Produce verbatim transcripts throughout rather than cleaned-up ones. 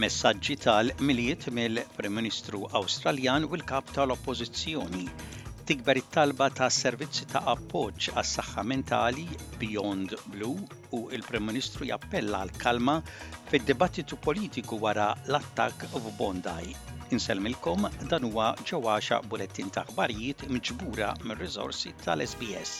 Messaġġi tal-Milied mill-Prim Ministru Awstraljan u l-Kap tal-Oppożizzjoni. Tikber it-talba ta' servizzi ta' appoġġ għas-saħħa mentali Beyond Blue u il-Prim Ministru jappella għal kalma fid-dibattitu politiku wara l-attakk f'Bondi. Insellmilkom, dan huwa ġewwaxa bulettin ta' aħbarijiet miġbura mir-riżorsi tal-S B S.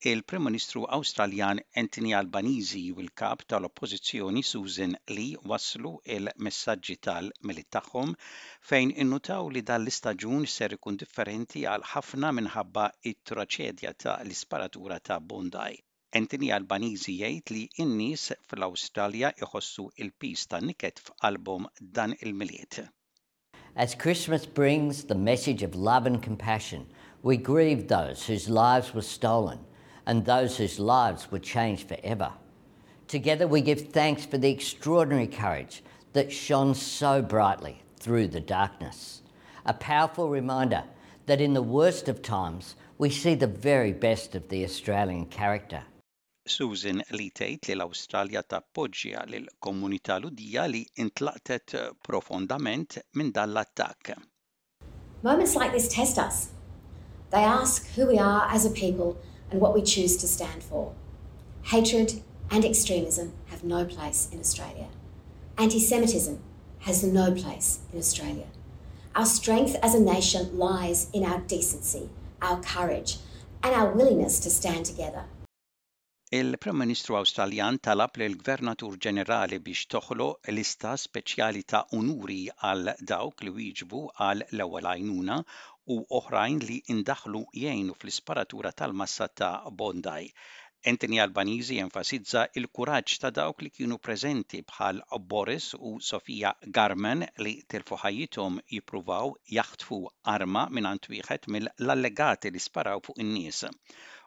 Il-Prim Ministru Awstraljan Anthony Albanese u l-kap tal-Oppożizzjoni Susan Lee waslu il-messaġġi tal-Milied tagħhom, fejn innutaw li dan l-istaġun ser ikun differenti għal ħafna minħabba it-traċedja ta' l-isparatura ta' Bondi. Anthony Albanese jgħid li n-nies fl-Awstralja iħossu il-piż ta' niket f'qalbhom dan il-Milied. As Christmas brings the message of love and compassion, we grieve those whose lives were stolen and those whose lives were changed forever. Together we give thanks for the extraordinary courage that shone so brightly through the darkness. A powerful reminder that in the worst of times we see the very best of the Australian character. Susan Lee tgħid li l-Awstralja tappoġġja lil komunità Lhudija li intlaqtet profondament minn dan l-attakk. Moments like this test us. They ask who we are as a people and what we choose to stand for. Hatred and extremism have no place in Australia. Anti Semitism has no place in Australia. Our strength as a nation lies in our decency, our courage, and our willingness to stand together. Il-Prim Ministru Awstraljan talab lil Gvernatur Ġenerali biex toħloq lista speċjali ta' unuri għal dawk li wieġbu għal l-ewwel għajnuna u oħrajn li indaħlu jgħinu fl-isparatura tal-massa ta' Bondi. Anthony Albanese enfasizza il-kuraġġ ta' dawk li kienu preżenti, bħal Boris u Sofia Garman, li tilfu ħajjithom jippruvaw jaħtfu arma mingħand wieħed mill-allegati li sparaw fuq in-nies.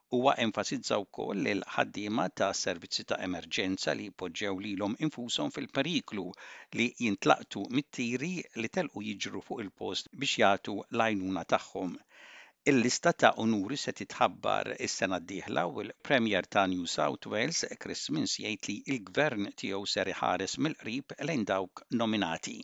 Huwa enfasizza wkoll li l-ħaddiema ta' servizzi ta' emerġenza li poġġew lilhom infushom fil-periklu li jintlaqtu mit-tiri li telqu jiġru fuq il-post biex jagħtu l-għajnuna tagħhom. Il-lista ta' unuri se titħabbar is-sena d-dieħla u l-Premier ta' New South Wales Chris Minns jgħid li l-gvern tiegħu ser iħares mill-qrib lejn dawk nominati.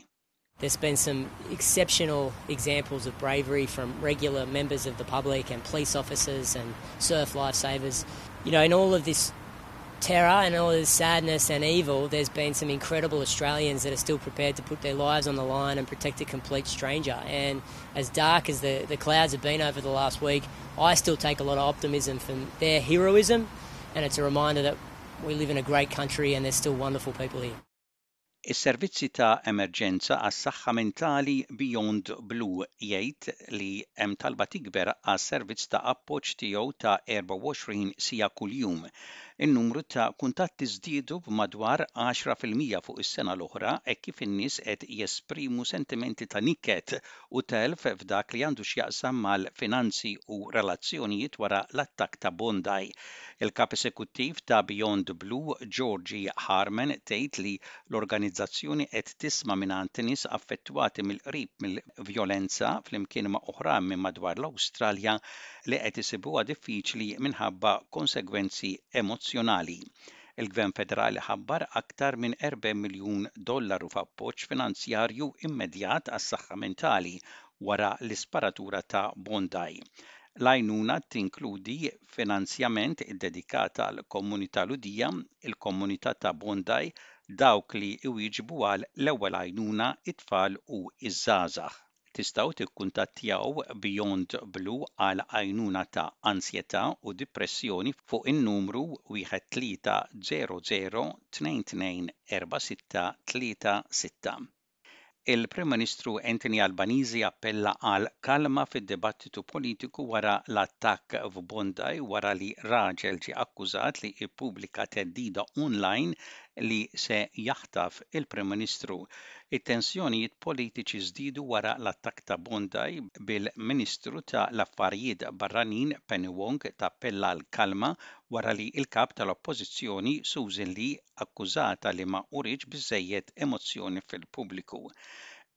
There's been some exceptional examples of bravery from regular members of the public and police officers and surf lifesavers. You know, in all of this terror and all this sadness and evil, there's been some incredible Australians that are still prepared to put their lives on the line and protect a complete stranger. And as dark as the, the clouds have been over the last week, I still take a lot of optimism from their heroism. And it's a reminder that we live in a great country and there's still wonderful people here. Is-servizzi ta' emerġenza għas-saħħa mentali Beyond Blue jgħid li hemm talba tikber għas-servizz ta' appoġġ tiegħu ta' erbgħa u għoxrin siegħa kuljum. In-numru ta' kuntatti żdiedu b'madwar għaxra fil-mija fuq is-sena l-oħra hekk kif in-nies qed jesprimu sentimenti ta' niket u telf f'dak li għandu x'jaqsam mal-finanzi u relazzjonijiet wara l-attakk ta' Bondi. Il-kap esekuttiv ta' Beyond Blue, Georgie Harman, tgħid li l-organizzazzjoni qed tisma' mingħand nies affettwati mill-qrib mill-vjolenza flimkien ma' oħrajn minn madwar l-Awstralja li qed isibuha diffiċli minħabba konsegwenzi emozzjonali. Il-Gvern Federali ħabbar aktar minn erbgħin miljun dollaru f'appoġġ finanzjarju immedjat għas-saħħa mentali wara l-isparatura ta' Bondi. L-għajnuna tinkludi finanzjament iddedikat għal komunità Lhudija, il-komunità ta' Bondi, dawk li iwieġbu għal l-ewwel għajnuna, it-tfal u iż-żgħażagħ. Tistgħu tikkuntattjaw Beyond Blue għal għajnuna ta' ansjetà u depressjoni fuq in-numru wieħed tlieta żero żero tnejn tnejn erba' sitta tlieta sitta. Il-Prim Ministru Anthony Albanese appella għal kalma fid-dibattitu politiku wara l-attakk f'Bondi, wara li raġel ġie akkużat li ippubblika theddida online li se jaħtaf il-Prim Ministru. It-tensjonijiet politiċi żdiedu wara l-attakk ta' Bondi, bil-Ministru ta' l-Affarijiet Barranin Penny Wong tappella għal kalma wara li il-kap tal-Oppożizzjoni Susan Lee akkużata li ma urietx biżejjed emozzjoni fil-pubbliku.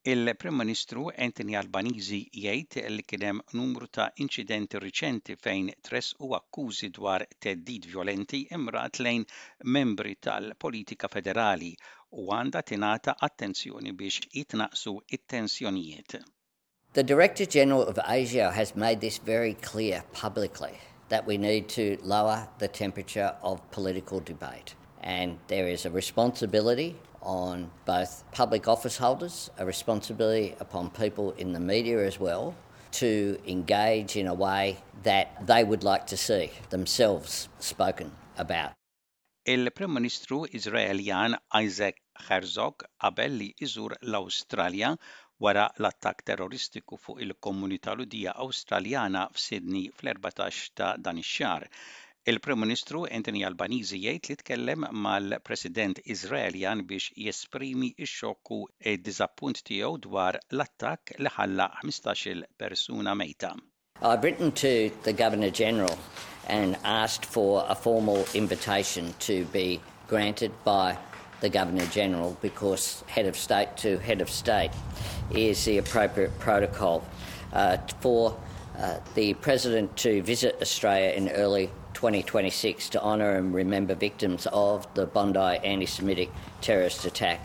Il-Prim Ministru Anthony Albanese jgħid li kien hemm numru ta' inċidenti riċenti fejn tressqu akkużi dwar theddid violenti mmirat lejn membri tal-politika federali u għandha tingħata attenzjoni biex jitnaqsu it-tensjonijiet. The Director General of ASIO has made this very clear publicly that we need to lower the temperature of political debate. And there is a responsibility on both public office holders, a responsibility upon people in the media as well, to engage in a way that they would like to see themselves spoken about. Il-Prim Ministru Iżraeljan Isaac Herzog qabel li iżur l-Awstralja wara l-attakk terroristiku fuq il-komunità Lhudija Awstraljana f'Sydney fl-erbatax ta' dan ix-xahar. Il-Prim Ministru Anthony Albanese jgħid li tkellem mal-President Iżraeljan biex jesprimi x-xokk u d-diżappunt tiegħu dwar l-attakk li ħalla ħmistax-il persuna mejta. I've written to the Governor General and asked for a formal invitation to be granted by the Governor General because head of state to head of state is the appropriate protocol uh, for uh, the President to visit Australia in early twenty twenty-six to honour and remember victims of the Bondi anti Semitic terrorist attack.